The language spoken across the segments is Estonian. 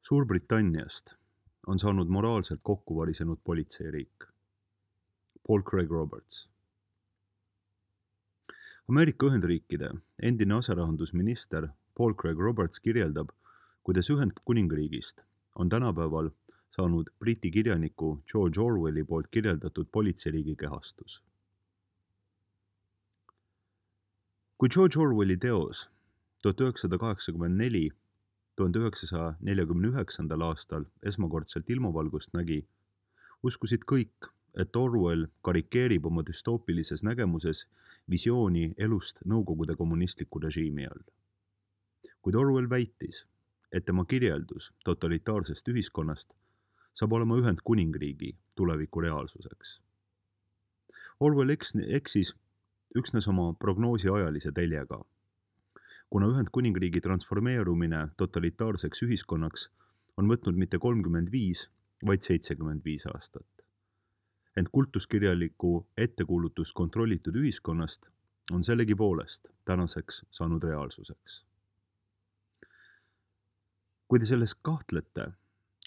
Suurbritanniast on saanud moraalselt kokku varisenud politseiriik. Paul Craig Roberts. Ameerika Ühendriikide endine aserahandusminister Paul Craig Roberts kirjeldab, kuidas Ühendkuningriigist on tänapäeval saanud Briti kirjaniku George Orwelli poolt kirjeldatud politseiriigi kehastus. Kui George Orwelli teos 1984 1949. aastal esmakordselt ilmavalgust nägi, uskusid kõik, et Orwell karikeerib oma düstoopilises nägemuses visiooni elust Nõukogude kommunistliku režiimi all. Kuid Orwell väitis, et tema kirjeldus totalitaarsest ühiskonnast saab olema Ühendkuningriigi tuleviku reaalsuseks. Orwell eksis üksnes oma prognoosi ajalise teljega, kuna Ühendkuningriigi transformeerumine totalitaarseks ühiskonnaks on võtnud mitte 35, vaid 75 aastat. Ent kultuskirjaliku ettekuulutus kontrollitud ühiskonnast on sellegipoolest tänaseks saanud reaalsuseks. Kui te selles kahtlete,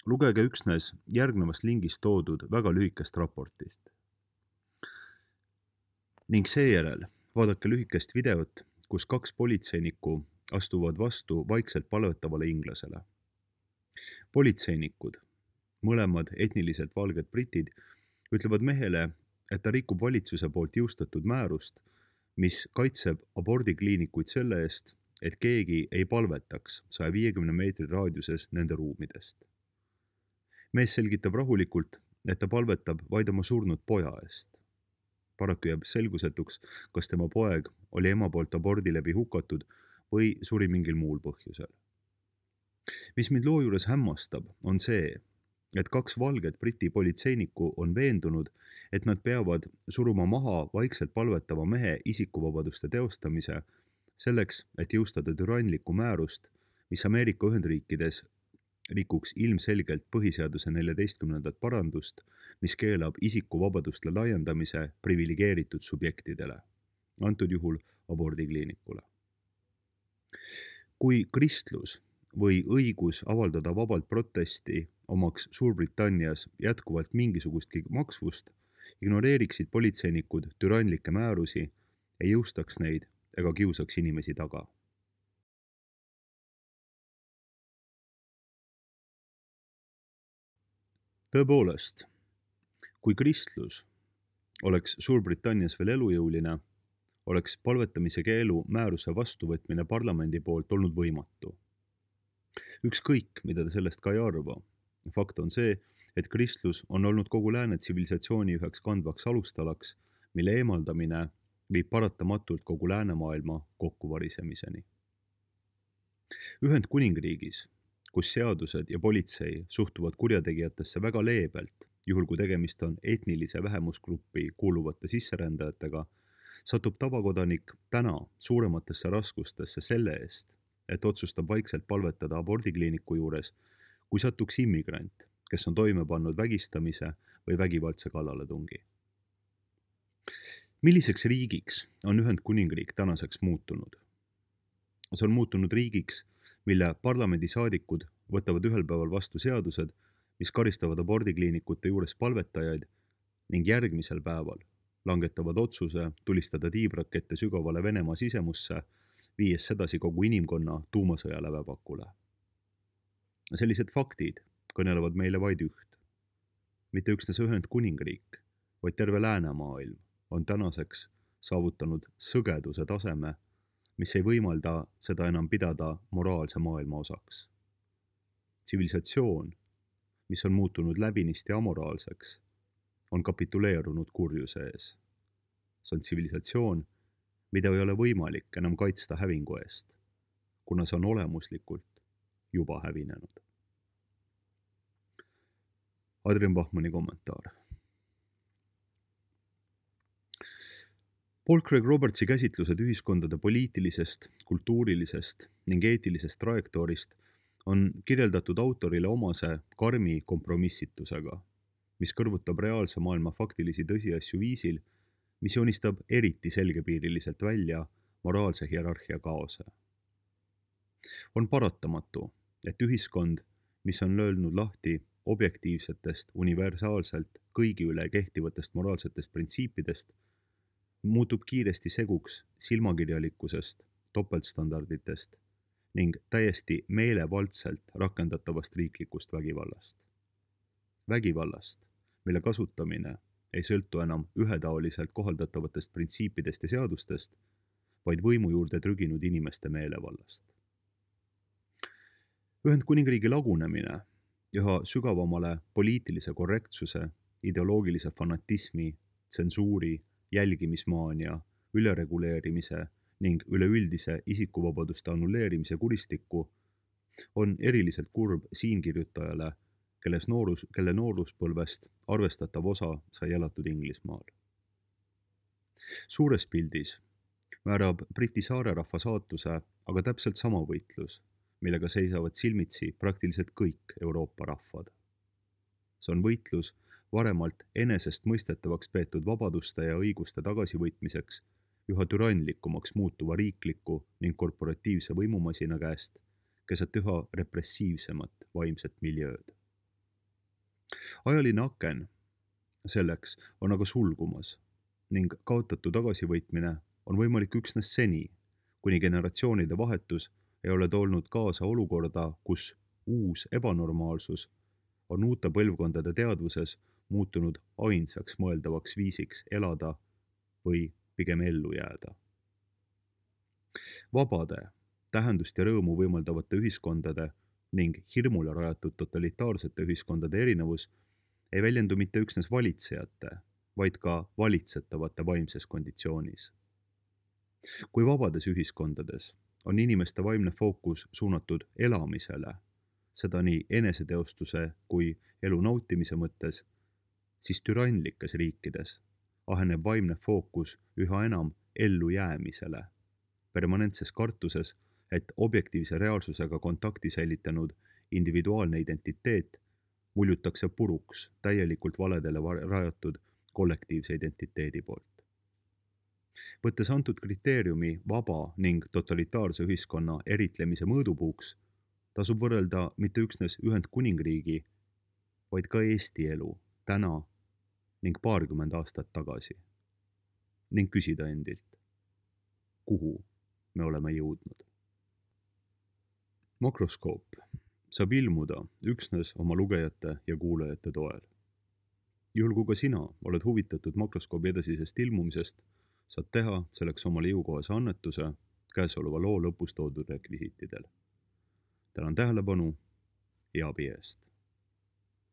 lugege üksnes järgnevast lingist toodud väga lühikest raportist. Ning seejärel vaadake lühikest videot, kus 2 politseinikku astuvad vastu vaikselt palvetavale inglasele. Politseinikud, mõlemad etniliselt valged britid, ütlevad mehele, et ta rikub valitsuse poolt jõustatud määrust, mis kaitseb abordikliinikuid selle eest, et keegi ei palvetaks 150 meetri raadiuses nende ruumidest. Mees selgitab rahulikult, et ta palvetab vaid oma surnud poja eest. Paraku jääb selgusetuks, kas tema poeg oli ema poolt abordi läbi hukatud või suri mingil muul põhjusel. Mis mind loo juures hämmastab, on see, et 2 valget briti politseinikku on veendunud, et nad peavad suruma maha vaikselt palvetava mehe isikuvabaduste teostamise selleks, et jõustada türanlikku määrust, mis Ameerika Ühendriikides rikuks ilmselgelt põhiseaduse 14. parandust, mis keelab isikuvabaduste laiendamise priviligeeritud subjektidele, antud juhul abordikliinikule. Kui kristlus või õigus avaldada vabalt protesti omaks Suurbritannias jätkuvalt mingisugustki maksvust, ignoreeriksid politseinikud türanlikke määrusi, ei jõustaks neid ega kiusaks inimesi taga. Tõepoolest, kui kristlus oleks Suurbritannias veel elujõuline, oleks palvetamise keelu määruse vastuvõtmine parlamendi poolt olnud võimatu. Ükskõik, mida ta sellest ka ei arva. Fakt on see, et kristlus on olnud kogu lääne tsivilisatsiooni üheks kandvaks alustalaks, mille eemaldamine viib paratamatult kogu läänemaailma kokkuvarisemiseni. Ühendkuningriigis, kus seadused ja politsei suhtuvad kurjategijatesse väga leebelt, juhul kui tegemist on etnilise vähemusgruppi kuuluvate sisserändajatega, satub tavakodanik täna suurematesse raskustesse selle eest, et otsustab vaikselt palvetada abordikliiniku juures, kui satuks immigrant, kes on toime pannud vägistamise või vägivaldse kallaletungi. Milliseks riigiks on Ühendkuningriik tänaseks muutunud? See on muutunud riigiks, mille parlamendisaadikud võtavad ühel päeval vastu seadused, mis karistavad abordikliinikute juures palvetajaid ning järgmisel päeval langetavad otsuse tulistada tiibrakette sügavale Venemaa sisemusse, viies sedasi kogu inimkonna tuumasõja lävepakule. Sellised faktid kõnelevad meile vaid üht. Mitte üksnes Ühendkuningriik, vaid terve läänemaailm on tänaseks saavutanud sõgeduse taseme, mis ei võimalda seda enam pidada moraalse maailma osaks. Tsivilisatsioon, mis on muutunud läbinisti amoraalseks, on kapituleerunud kurjuse ees. See on tsivilisatsioon, mida ei ole võimalik enam kaitsta hävingu eest, kuna see on olemuslikult juba hävinenud. Adrian Bachmanni kommentaar. Paul Craig Robertsi käsitlused ühiskondade poliitilisest, kultuurilisest ning eetilisest trajektoorist on kirjeldatud autorile omase karmi kompromissitusega, mis kõrvutab reaalse maailma faktilisi tõsiasju viisil, mis joonistab eriti selgepiiriliselt välja moraalse hierarhia kaose. On paratamatu, et ühiskond mis on löönud lahti objektiivsetest, universaalselt kõigi üle kehtivatest moraalsetest printsiipidest, muutub kiiresti seguks silmakirjalikkusest, topeltstandarditest ning täiesti meelevaldselt rakendatavast riiklikust vägivallast. Vägivallast, mille kasutamine ei sõltu enam ühetaoliselt kohaldatavatest printsiipidest ja seadustest, vaid võimu juurde trüginud inimeste meelevallast. Ühendkuningriigi lagunemine üha sügavamale poliitilise korrektsuse, ideoloogilise fanatismi, tsensuuri, jälgimismaania, ülereguleerimise ning üleüldise isikuvabaduste annulleerimise kuristikku on eriliselt kurb siinkirjutajale, kelle nooruspõlvest arvestatav osa sai elatud Inglismaal. Suures pildis määrab Briti saarerahva saatuse aga täpselt sama võitlus, millega seisavad silmitsi praktiliselt kõik Euroopa rahvad. See on võitlus varemalt enesestmõistetavaks peetud vabaduste ja õiguste tagasivõitmiseks üha türannlikumaks muutuva riikliku ning korporatiivse võimumasina käest keset üha repressiivsemat vaimset miljööd. Ajaline aken selleks on aga sulgumas ning kaotatu tagasivõitmine on võimalik üksnes seni, kuni generatsioonide vahetus ei ole toonud kaasa olukorda, kus uus ebanormaalsus on uute põlvkondade teadvuses muutunud ainsaks mõeldavaks viisiks elada või pigem ellu jääda. Vabade, tähendust ja rõõmu võimaldavate ühiskondade ning hirmule rajatud totalitaarsete ühiskondade erinevus ei väljendu mitte üksnes valitsejate, vaid ka valitsetavate vaimses konditsioonis. Kui vabades ühiskondades on inimeste vaimne fookus suunatud elamisele, seda nii eneseteostuse kui elu nautimise mõttes, siis türannlikes riikides aheneb vaimne fookus üha enam ellujäämisele, permanentses kartuses, et objektiivse reaalsusega kontakti säilitanud individuaalne identiteet muljutakse puruks täielikult valedele rajatud kollektiivse identiteedi poolt. Võttes antud kriteeriumi vaba ning totalitaarse ühiskonna eritlemise mõõdupuuks, tasub võrrelda mitte üksnes Ühendkuningriigi, vaid ka Eesti elu täna ning paarkümmend aastat tagasi ning küsida endilt, kuhu me oleme jõudnud. Makroskoop saab ilmuda üksnes oma lugejate ja kuulajate toel. Juhul kui ka sina oled huvitatud Makroskoobi edasisest ilmumisest, saad teha selleks omale jõukohase annetuse käesoleva loo lõpus toodud rekvisiitidel. Tänan tähelepanu ja abi eest.